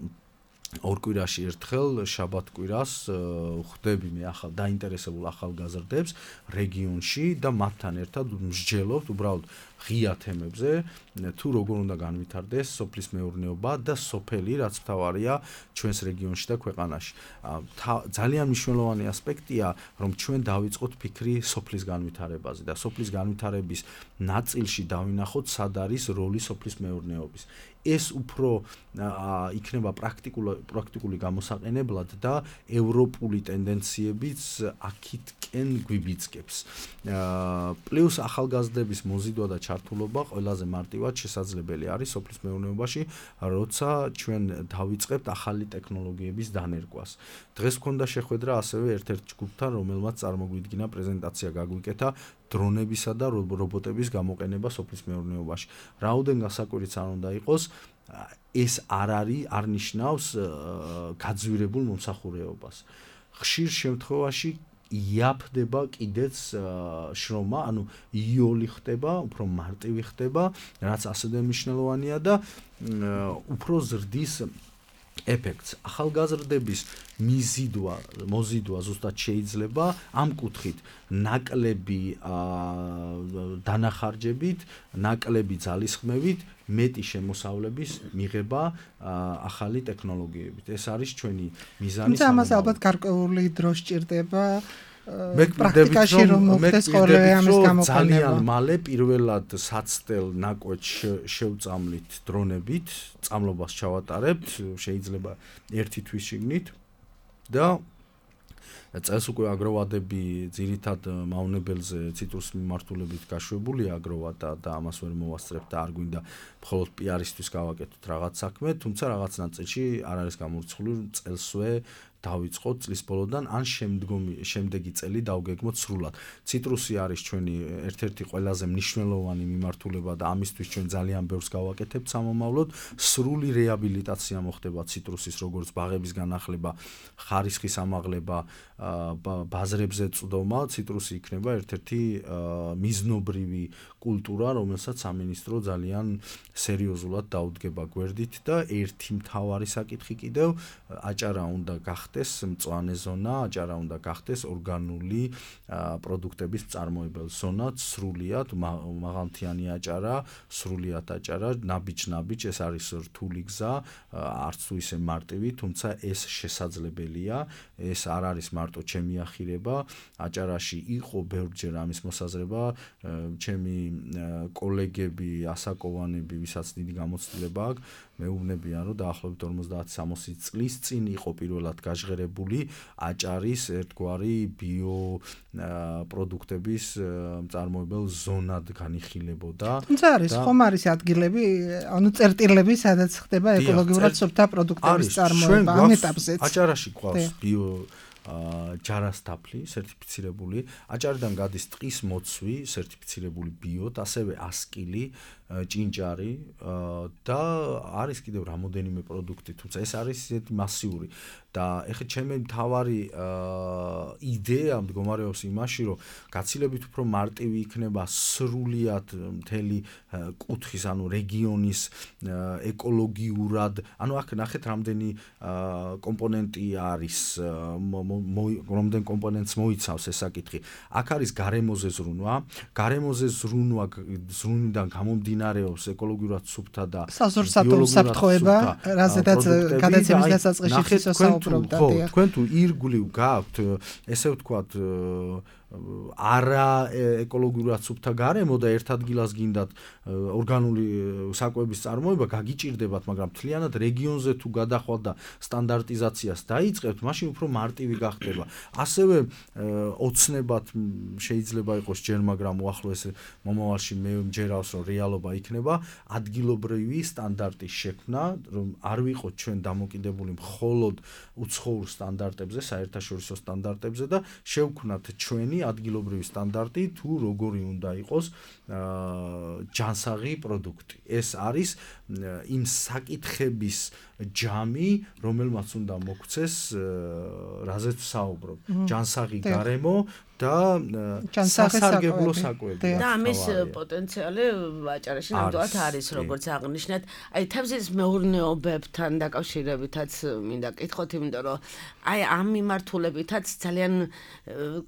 ორ კვირაში ერთხელ შაბათ-კვირას ხვდები მე დაინტერესებულ ახალგაზრდებს რეგიონში და მათთან ერთად მსჯელობთ უბრალოდ ღია თემებზე, თუ როგორ უნდა განვითარდეს სოფლის მეურნეობა და სოფელი, რაც მთავარია ჩვენს რეგიონში და ქვეყანაში. ძალიან მნიშვნელოვანი ასპექტია, რომ ჩვენ დავიწყოთ ფიქრი სოფლის განვითარებაზე და სოფლის განვითარების ნაწილში დავინახოთ, სად არის როლი სოფლის მეურნეობის. ეს უფრო იქნება პრაქტიკული გამოსაყენებლად და ევროპული ტენდენციებიც აქითკენ გვიბიძგებს. პლუს ახალგაზრდების მოზიდვა და ჩართულობა ყველაზე მარტივად შესაძლებელი არის სოფლის მეურნეობაში, როცა ჩვენ დავიწყებთ ახალი ტექნოლოგიების დანერგვას. დღეს მქონდა შეხვედრა ასევე ერთ-ერთ ჯგუფთან, რომელმაც წარმოგვიდგინა პრეზენტაცია გაგვიკეთა დრონებისა და რობოტების გამოყენება სოფლის მეურნეობაში. რაოდენ გასაკვირიც არ უნდა იყოს, ეს არ ნიშნავს გაძვირებულ მომსახურეობას. ხშირ შემთხვევაში იაფდება კიდეც შრომა, ანუ იოლი ხდება, უფრო მარტივი ხდება, რაც ასევე მნიშვნელოვანია და უფრო ზრდის ეფექტს. ახალგაზრდების მოზიდვა ზუსტად შეიძლება ამ კუთხით ნაკლები დანახარჯებით, ნაკლები ძალისხმევით, მეტი შემოსავლების მიღება ახალი ტექნოლოგიებით. ეს არის ჩვენი მიზანი. ამას ალბათ გარკვეული დრო სჭირდება. პრაქტიკაში რომ მოხდეს ხოლმე ამის გამოყენება. ძალიან მალე პირველად საცდელ ნაკვეთს შევწამლით დრონებით, წამლობას ჩავატარებთ, შეიძლება 1 თვის შიგნით და წელს უკვე აგროვადები ძირითად მავნებელზე ციტრუსის მიმართულებით გაშვებულია აგროვადა და ამას ვერ მოვასწრებთ და არ გვინდა მხოლოდ პიარისთვის გავაკეთოთ რაღაც საქმე, თუმცა რაღაც ნაწილში არ არის გამორიცხული, წელსვე დავიწყოთ წლის ბოლოდან ან შემდეგი წელი დავგეგმოთ სრულად. ციტრუსი არის ჩვენი ერთ-ერთი ყველაზე მნიშვნელოვანი მიმართულება და ამისთვის ჩვენ ძალიან ბევრს გავაკეთებთ სამომავლოდ. სრული რეაბილიტაცია მოხდება ციტრუსის, როგორც ბაღების განახლება, ხარისხის ამაღლება, ბაზრებზე წვდომა. ციტრუსი იქნება ერთ-ერთი მიზნობრივი კულტურა, რომელსაც სამინისტრო ძალიან სერიოზულად დაუდგება გვერდით და ერთი მთავარი საკითხი კიდევ აჭარა უნდა გახდეს მწვანე ზონა, აჭარა უნდა გახდეს ორგანული პროდუქტების მწარმოებელ ზონა, სრულიად მაღალმთიანი აჭარა, სრულიად აჭარა, ნაბიჯ-ნაბიჯ, ეს არის რთული გზა, არც თუ ისე მარტივი, თუმცა ეს შესაძლებელია, ეს არ არის მარტო ჩემი ახირება, აჭარაში იყო ბევრჯერ ამის მოსაზრება, ჩემი კოლეგები, ასაკოვანები, ვისაც დიდი გამოცდილება აქვს, მეუბნებიან, რომ დაახლოებით 50-60 წლის წინ იყო პირველად გაჟღერებული აჭარის ერთგვარი ბიო პროდუქტების მწარმოებელ ზონად განიხილებოდა. თუმცა არის ხომ არის ადგილები, ანუ წერტილები, სადაც ხდება ეკოლოგიურად სოფთა პროდუქტების წარმოება ამ ეტაპზეც. აჭარაში გვყავს ბიო ჯარასთაფლი სერტიფიცირებული, აჭარიდან გადის ტყის მოცვი სერტიფიცირებული ბიოთ, ასევე ასკილი, ჭინჭარი და არის კიდევ რამოდენიმე პროდუქტი, თუმცა ეს არის ისეთი მასიური და ეხლა ჩემი მთავარი იდეა მდგომარეობს იმაში, რომ გაცილებით უფრო მარტივი იქნება სრულიად მთელი კუთხის, ანუ რეგიონის ეკოლოგიურად, ანუ აქ ნახეთ რამდენი კომპონენტი არის, რომდენ კომპონენტს მოიცავს ეს საკითხი. აქ არის გარემოზე ზრუნვა, ზრუნვიდან გამომდინარეობს ეკოლოგიურად სუფთა და საზორსათო უსაფრთხოება, რაზედაც გადაცემის დასაწყისში ისო საუბრობდა. თქვენ თუ ირგვლივ გაქვთ, ესე ვთქვათ, არა ეკოლოგიურად სუფთა გარემო და ერთ ადგილას გინდათ ორგანული საკვების წარმოება, გაგიჭირდებათ, მაგრამ მთლიანად რეგიონზე თუ გადახვალთ და სტანდარტიზაციას დაიწყებთ, მაშინ უფრო მარტივი გახდება. ასევე ოცნებად შეიძლება იყოს ჯერ, მაგრამ უახლოეს მომავალში მე მჯერავს, რომ რეალობა იქნება ადგილობრივი სტანდარტის შექმნა, რომ არ ვიყოთ ჩვენ დამოკიდებული მხოლოდ უცხოურ სტანდარტებზე, საერთაშორისო სტანდარტებზე და შევქმნათ ჩვენი ადგილობრივი სტანდარტი თუ როგორი უნდა იყოს ჯანსაღი პროდუქტი. ეს არის იმ საკითხების ჯამი, რომელმაც უნდა მოგვცეს, რაზეც ვსაუბრობ. ჯანსაღი გარემო და სასარგებლო საკვები. და ამის პოტენციალი აჭარაში ნამდვილად არის, როგორც აღნიშნეთ. აი თევზის მეურნეობებთან დაკავშირებითაც მინდა კითხოთ, იმიტომ რომ აი ამ მიმართულებითაც ძალიან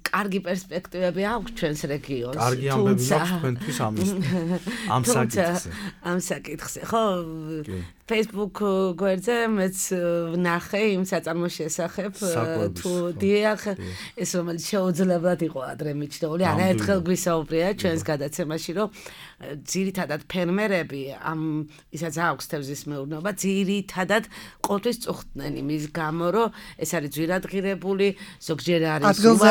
კარგი პერსპექტივები აქვს ჩვენს რეგიონს. კარგი ამბები მაქვს თქვენთვის ამ საკითხზე. ამ საკითხზე, ხო? Facebook გვერდზე მეც ვნახე იმ საწარმოს შესახებ, თუ დიახ, ეს რომელიც შეუძლებლად იყო ადრე მიჩნეული, არაერთხელ გვისაუბრია ჩვენს გადაცემაში, რომ ძირითადად ფერმერები ისაც აქვს თევზის მეურნეობა, ძირითადად ყოველთვის წუხდნენ იმის გამო, რომ ეს არის ძვირადღირებული, ზოგჯერ არის ადგილზე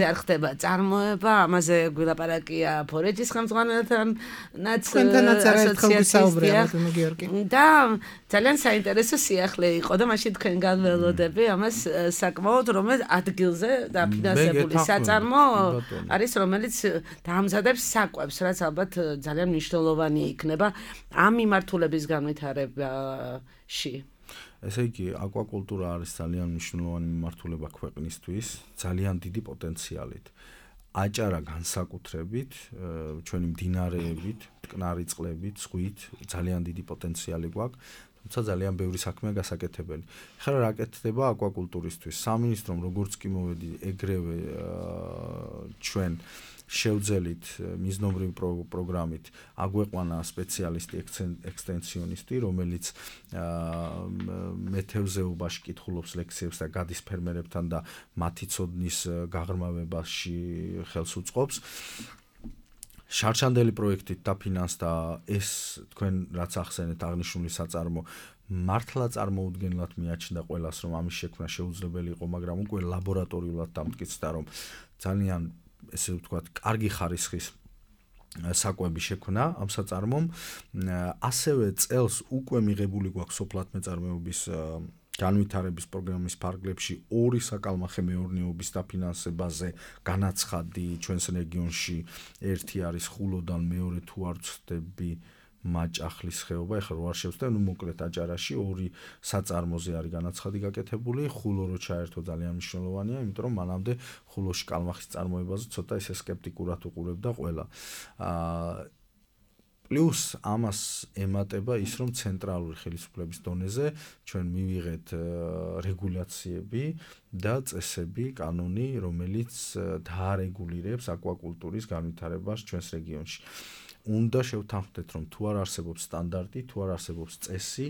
არ ხდება წარმოება, ამაზე გვილაპარაკია ფორეჯის ხელმძღვანელთანაც ასოციაციის და ძალიან საინტერესო სიახლე იყო და მაშინ თქვენ განველოდები ამას საკმაოდ, რომელიც ადგილზე დაფინანსებული საწარმო არის, რომელიც დაამზადებს საკვებს, რაც ალბათ ძალიან მნიშვნელოვანი იქნება ამ მიმართულების განვითარებაში. ესე იგი, აკვაკულტურა არის ძალიან მნიშვნელოვანი მიმართულება ქვეყნისთვის, ძალიან დიდი პოტენციალით. აჭარა განსაკუთრებით, ჩვენი მდინარეებით, მტკნარი წყლებით, ზღვით ძალიან დიდი პოტენციალი გვაქვს, თუმცა ძალიან ბევრი საქმეა გასაკეთებელი. ხარ რა კეთდება აკვაკულტურისთვის? სამინისტრომ როგორც კი მოვედი, ეგრევე ჩვენ შევძელით მიზნობრივი პროგრამით აგვეყვანა სპეციალისტი ექსტენსიონისტი, რომელიც მეთევზეობაში კითხულობს ლექციებს და გადის ფერმერებთან და მათი ცოდნის გაღრმავებაში ხელს უწყობს. შარშანდელი პროექტით დაფინანსდა ეს თქვენ რაც ახსენეთ აღნიშნული საწარმო მართლა წარმოუდგენლად მიაჩნდა ყველას, რომ ამის შექმნა შეუძლებელი იყო, მაგრამ უკვე ლაბორატორიულად დამტკიცდა, რომ ძალიან ესე ვთქვათ, კარგი ხარისხის საკვები შექმნა ამ საწარმომ. ასევე წელს უკვე მიღებული გვაქვს სოფლათმეწარმეობის განვითარების პროგრამის ფარგლებში 2 საკალმახე მეურნეობის დაფინანსებაზე განაცხადი ჩვენს რეგიონში. ერთი არის ხულოდან, მეორე თუ არ ვცდები მაჭახლის ხეობა, ეხლა რო არ შევწდები, მოკლედ აჭარაში 2 საწარმოზე არის განაცხადი გაკეთებული, ხულო რო ჩაერთო ძალიან მნიშვნელოვანია, იმიტომ რომ მანამდე ხულოში კალმახის წარმოებაზე ცოტა ისე სკეპტიკურად უყურებდა ყველა. პლუს ამას ემატება ის, რომ ცენტრალური ხელისუფლების დონეზე ჩვენ მივიღეთ რეგულაციები და წესები, კანონი, რომელიც დაარეგულირებს აკვაკულტურის განვითარებას ჩვენს რეგიონში. უნდა შევთანხმდეთ, რომ თუ არ არსებობს სტანდარტი, თუ არ არსებობს წესი,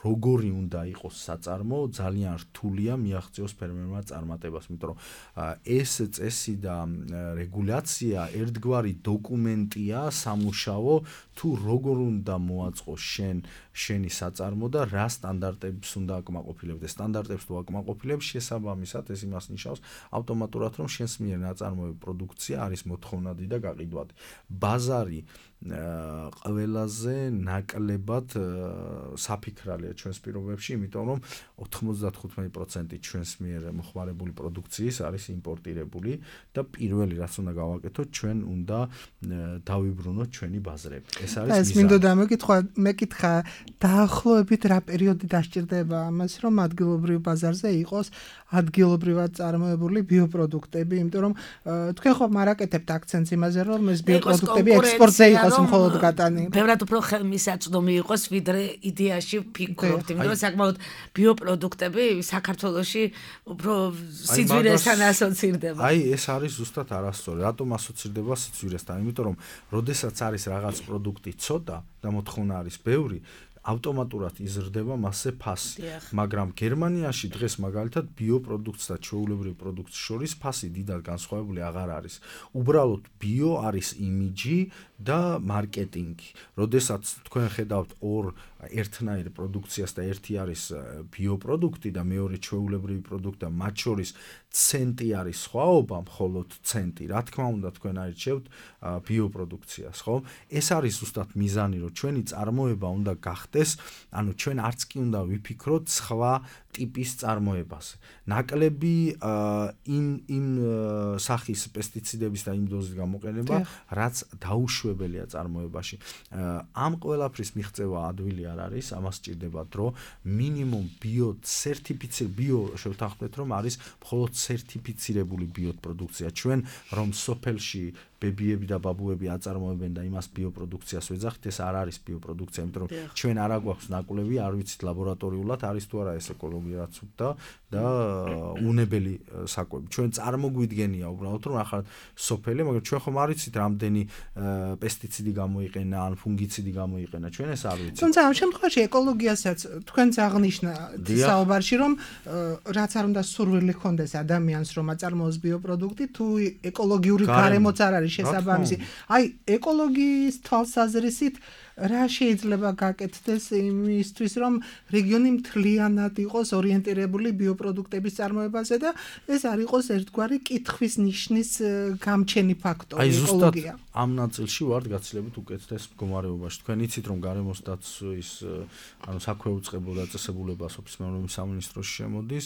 როგორი უნდა იყოს საწარმო, ძალიან რთულია მიაღწიოს ფერმერმა წარმატებას, იმიტომ რომ ეს წესი და რეგულაცია ერთგვარი დოკუმენტია, სამუშაო, თუ როგორ უნდა მოაწყოს შენი საწარმო და რა სტანდარტებს უნდა აკმაყოფილებს. სტანდარტებს თუ აკმაყოფილებს, შესაბამისად ეს იმას ნიშნავს ავტომატურად, რომ შენს მიერ ნაწარმოები პროდუქცია არის მოთხოვნადი და გაყიდვადი. ბაზარი ყველაზე ნაკლებად საფიქრალია ჩვენს პირობებში, იმიტომ რომ 95% ჩვენს მიერ მოხმარებული პროდუქციის არის იმპორტირებული და პირველი რაც უნდა გავაკეთოთ, ჩვენ უნდა დავიბრუნოთ ჩვენი ბაზრები. ეს არის მიზანი. ეს მინდოდა მეკითხა დაახლოებით რა პერიოდი დასჭირდება ამას, რომ ადგილობრივ ბაზარზე იყოს ადგილობრივად წარმოებული ბიოპროდუქტები, იმიტომ რომ თქვენ ხო მარაკეთებთ აქცენტს იმაზე, რომ ეს ბიოპროდუქტები ექსპორტზე იყოს მხოლოდ გატანი. ბევრად უფრო ხელმისაწვდომი იყოს, ვიდრე იდეაში ფიქრობთ, იმიტომ რომ საკმაოდ ბიოპროდუქტები საქართველოში უფრო სიძვირესთან ასოცირდება. აი, ეს არის ზუსტად არასწორი. რატომ ასოცირდება სიძვირესთან? იმიტომ რომ როდესაც არის რაღაც პროდუქტი ცოტა და მოთხოვნა არის ბევრი, ავტომატურად იზრდება მასზე ფასი. მაგრამ გერმანიაში დღეს მაგალითად ბიოპროდუქტს და ჩვეულებრივ პროდუქტს შორის ფასი დიდად განსხვავებული აღარ არის. უბრალოდ ბიო არის იმიჯი და მარკეტინგი. როდესაც თქვენ ხედავთ ორ ერთნაირ პროდუქციას და ერთი არის ბიოპროდუქტი და მეორე ჩვეულებრივი პროდუქტი და მათ შორის ცენტი არის სხვაობა, მხოლოდ ცენტი. რა თქმა უნდა, თქვენ აირჩევთ ბიოპროდუქციას, ხო? ეს არის ზუსტად მიზანი, რომ ჩვენი წარმოება უნდა გახდეს, ანუ ჩვენ არც კი უნდა ვიფიქროთ სხვა ტიპის წარმოებაზე. ნაკლები იმ სახის პესტიციდების და იმ დოზის გამოყენება, რაც დაუშვებელია წარმოებაში. ამ ყველაფრის მიღწევა ადვილი არ არის, ამას სჭირდება დრო, მინიმუმ ბიო შევთანხმდეთ, რომ არის მხოლოდ სერტიფიცირებული ბიოპროდუქცია. ჩვენ რომ სოფელში ბებიები და ბაბუები აწარმოებენ და იმას ბიოპროდუქციას ვეძახით, ეს არ არის ბიოპროდუქცია, იმიტომ რომ ჩვენ არ აგვაქვს ნაკვლევი, არ ვიცით ლაბორატორიულად არის თუ არა ეს ეკოლოგიურად სუფთა და უნებელი საკვები. ჩვენ წარმოგვიდგენია უბრალოდ რომ ახლა სოფელი, მაგრამ ჩვენ ხომ არ ვიცით რამდენი პესტიციდი გამოიყენა ან ფუნგიციდი გამოიყენა, ჩვენ ეს არ ვიცით. თუმცა ამ შემთხვევაში ეკოლოგიასაც თქვენც აღნიშნა საუბარში, რომ რაც არ უნდა სურვილი ჰქონდეს ადამიანს, რომ აწარმოოს ბიოპროდუქტი, თუ ეკოლოგიური გარემოც არ არის შესაბამისი. აი, ეკოლოგიის თვალსაზრისით რა შეიძლება გაკეთდეს იმისთვის, რომ რეგიონი მთლიანად იყოს ორიენტირებული ბიოპროდუქტების წარმოებაზე და ეს არ იყოს ერთგვარი კითხვის ნიშნის გამჩენი ფაქტორი ეკოლოგია. ამ ნაწილში ვართ გაცილებით უკეთეს მდგომარეობაში. თქვენ იცით, რომ გარემოს დაცვის, ანუ საქვეუწყებო დაწესებულება სოფლის მეურნეობის სამინისტროში შემოდის,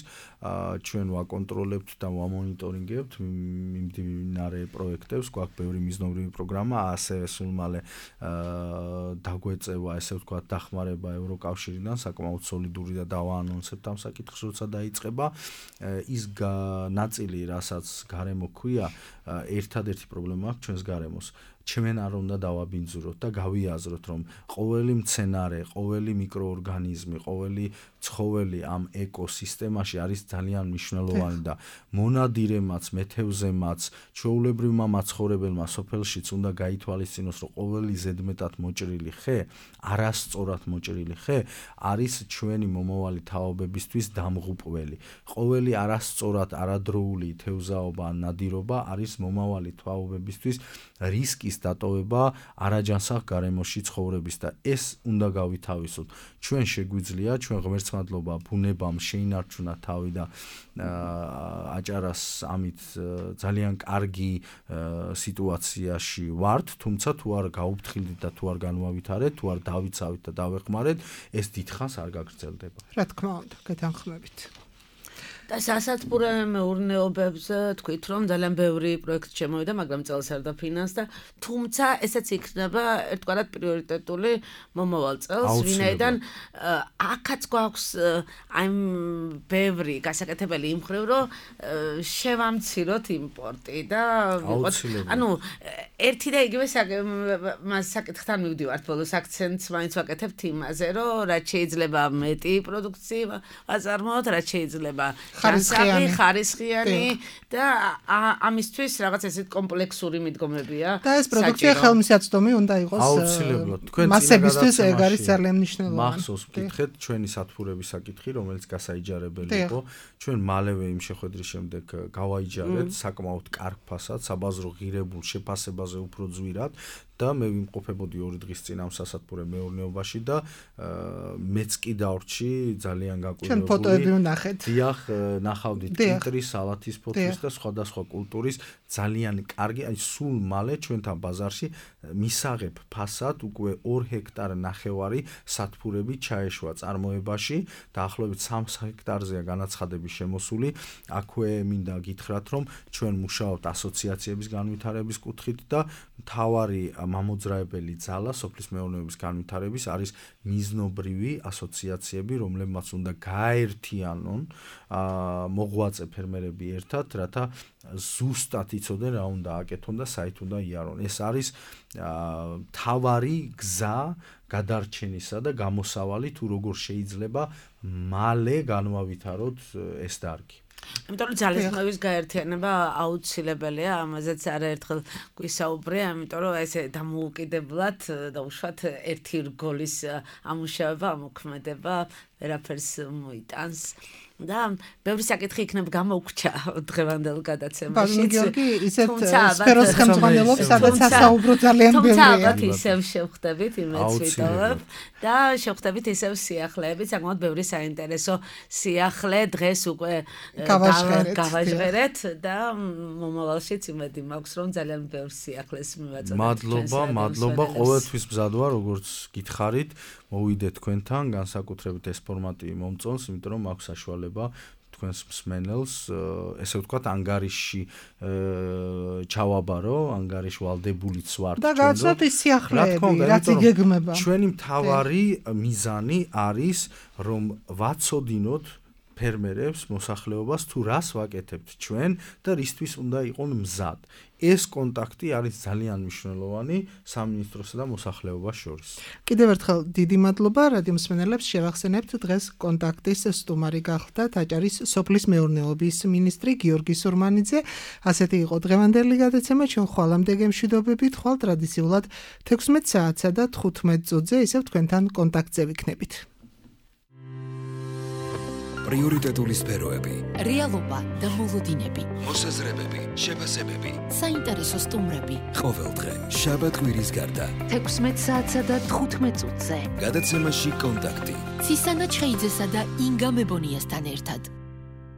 ჩვენ ვაკონტროლებთ და ვამონიტორინგებთ მიმდინარე პროექტებს, გვაქვს ბევრი მიზნობრივი პროგრამა, ასევე სულ მალე დაგვეწევა, ესე ვთქვათ, დახმარება ევროკავშირიდან, საკმაოდ სოლიდური და დავაანონსებთ ამ საკითხს, როცა დაიწყება. ის ნაწილი, რასაც გარემო ქვია, ერთადერთი პრობლემა აქვს ჩვენს გარემოს. ჩვენ არ უნდა დავაბინძუროთ და გავიაზროთ, რომ ყოველი მცენარე, ყოველი მიკროორგანიზმი, ყოველი ცხოველი ამ ეკოსისტემაში არის ძალიან მნიშვნელოვანი და მონადირემაც, მეთევზემაც, ჩვეულებრივმა მაცხოვრებელმა სოფელშიც უნდა გაითვალისწინოს, რომ ყოველი ზედმეტად მოჭრილი ხე, არასწორად მოჭრილი ხე არის ჩვენი მომავალი თაობებისთვის დამღუპველი. ყოველი არასწორად არადროული თევზაობა ან ნადირობა არის მომავალი თაობებისთვის რისკის დატოვება არაჯანსაღ გარემოში ცხოვრების და ეს უნდა გავითავისოთ. ჩვენ შეგვიძლია, ჩვენ ღმერთსმადლობა ბუნებამ შეინარჩუნა თავი და აჭარას ამით ძალიან კარგი სიტუაციაში ვართ, თუმცა თუ არ გაუფრთხილდით და თუ არ განვავითარეთ, თუ არ დავიცავით და დავეხმარეთ, ეს დიდხანს არ გაგრძელდება. რა თქმა უნდა, გეთანხმებით. და სასათბურე მეურნეობებზე თქვით, რომ ძალიან ბევრი პროექტი შემოვიდა, მაგრამ წელს არ დაფინანსდა, თუმცა ესეც იქნება ერთგვარად პრიორიტეტული მომავალ წელს, ვინაიდან აქაც გვაქვს აი ბევრი გასაკეთებელი იმ მხრივ, რომ შევამციროთ იმპორტი და ანუ ერთი და იგივე საკითხთან მივდივართ ბოლოს აქცენტს მაინც ვაკეთებთ იმაზე, რომ რაც შეიძლება მეტი პროდუქცია აწარმოოთ, რაც შეიძლება ხარისხიანი და ამისთვის რაღაც ესეთ კომპლექსური მიდგომებია. და ეს პროდუქცია ხელმისაწვდომი უნდა იყოს. აუცილებლად. თქვენ მასებისთვის ეგ არის ძალიან მნიშვნელოვანი. მახსოვს ვკითხეთ ჩვენი სათბურების საკითხი, რომელიც გასაიჯარებელი იყო. ჩვენ მალევე იმ შეხვედრის შემდეგ გავაიჯარეთ საკმაოდ კარგ ფასად, საბაზრო ღირებულ შეფასებაზე უფრო ძვირად. და მე ვიმყოფებოდი 2 დღის წინ ამ სასათბურე მეურნეობაში და მეც კი დავრჩი ძალიან გაკვირვებული. ჩვენ ფოტოები ვნახეთ. დიახ, ნახავდით კიტრის, სალათის ფოთლის და სხვადასხვა კულტურის ძალიან კარგი, აი სულ მალე ჩვენთან ბაზარში მისაღებ ფასად უკვე 2 ჰექტარ ნახევარი სათბურები ჩაეშვა წარმოებაში, დაახლოებით 3 ჰექტარზეა განაცხადების შემოსული. აქვე მინდა გითხრათ, რომ ჩვენ მუშაობთ ასოციაციების განვითარების კუთხით და მთავარი მამოძრავებელი ძალა სოფლის მეურნეობის განვითარების არის მიზნობრივი ასოციაციები, რომლებმაც უნდა გააერთიანონ მოღვაწე ფერმერები ერთად, რათა ზუსტად იცოდნენ რა უნდა აკეთონ და საით უნდა იარონ. ეს არის მთავარი გზა გადარჩენისა და გამოსავალი თუ როგორ შეიძლება მალე განვავითაროთ ეს დარგი. იმიტომ რომ ძალისხმევის გაერთიანება აუცილებელია, ამაზეც არაერთხელ გვისაუბრია, იმიტომ რომ ესე დამოუკიდებლად და უშუალოდ ერთი რგოლის ამუშავება, ამოქმედება ვერაფერს მოიტანს. და ბევრი საკითხი იქნებ გამოგვჭა დღევანდელ გადაცემაში. გიორგი, ისეთ სფეროს ხელმძღვანელობს, სადაც ასაუბრო ძალიან ბევრია. თუმცა ალბათ ისევ შევხვდებით, იმეც ვიტოვებ და შევხვდებით ისევ სიახლეებით, საკმაოდ ბევრი საინტერესო სიახლე დღეს უკვე გავაჟღერეთ და მომავალშიც იმედი მაქვს, რომ ძალიან ბევრ სიახლეს მივაწოდოთ. მადლობა, ყოველთვის მზად ვარ, როგორც გითხარით, მოვიდეთ თქვენთან, განსაკუთრებით ეს ფორმატი მომწონს, იმიტომ რომ აქვს საშუალება თქვენს მსმენელს, ესე ვთქვათ, ანგარიში ჩავაბარო, ანგარიში ვალდებულიც ვართ და გაცნოთ ის სიახლეები, რაც იგეგმება. ჩვენი მთავარი მიზანი არის, რომ ვაცოდინოთ ფერმერებს, მოსახლეობას თუ რას ვაკეთებთ ჩვენ და რისთვის უნდა იყონ მზად. ეს კონტაქტი არის ძალიან მნიშვნელოვანი სამინისტროსა და მოსახლეობას შორის. კიდევ ერთხელ დიდი მადლობა რადიო მსმენელებს, შევახსენებთ დღეს კონტაქტის სტუმარი გახლდათ აჭარის სოფლის მეურნეობის მინისტრი გიორგი სურმანიძე. ასეთი იყო დღევანდელი გადაცემა, ჩვენ ხვალამდე გემშვიდობებით, ხვალ ტრადიციულად 16 საათსა და 15 წუთზე ისევ თქვენთან კონტაქტზე ვიქნებით. პრიორიტეტული სფეროები, რეალობა და მოლოდინები, მოსაზრებები, შეფასებები, საინტერესო სტუმრები. ყოველდღე შაბათ-კვირის გარდა 16 საათსა და 15 წუთზე. გადაცემაში კონტაქტი. ცისანა ჩხეიძესა და ინგა მებონიასთან ერთად.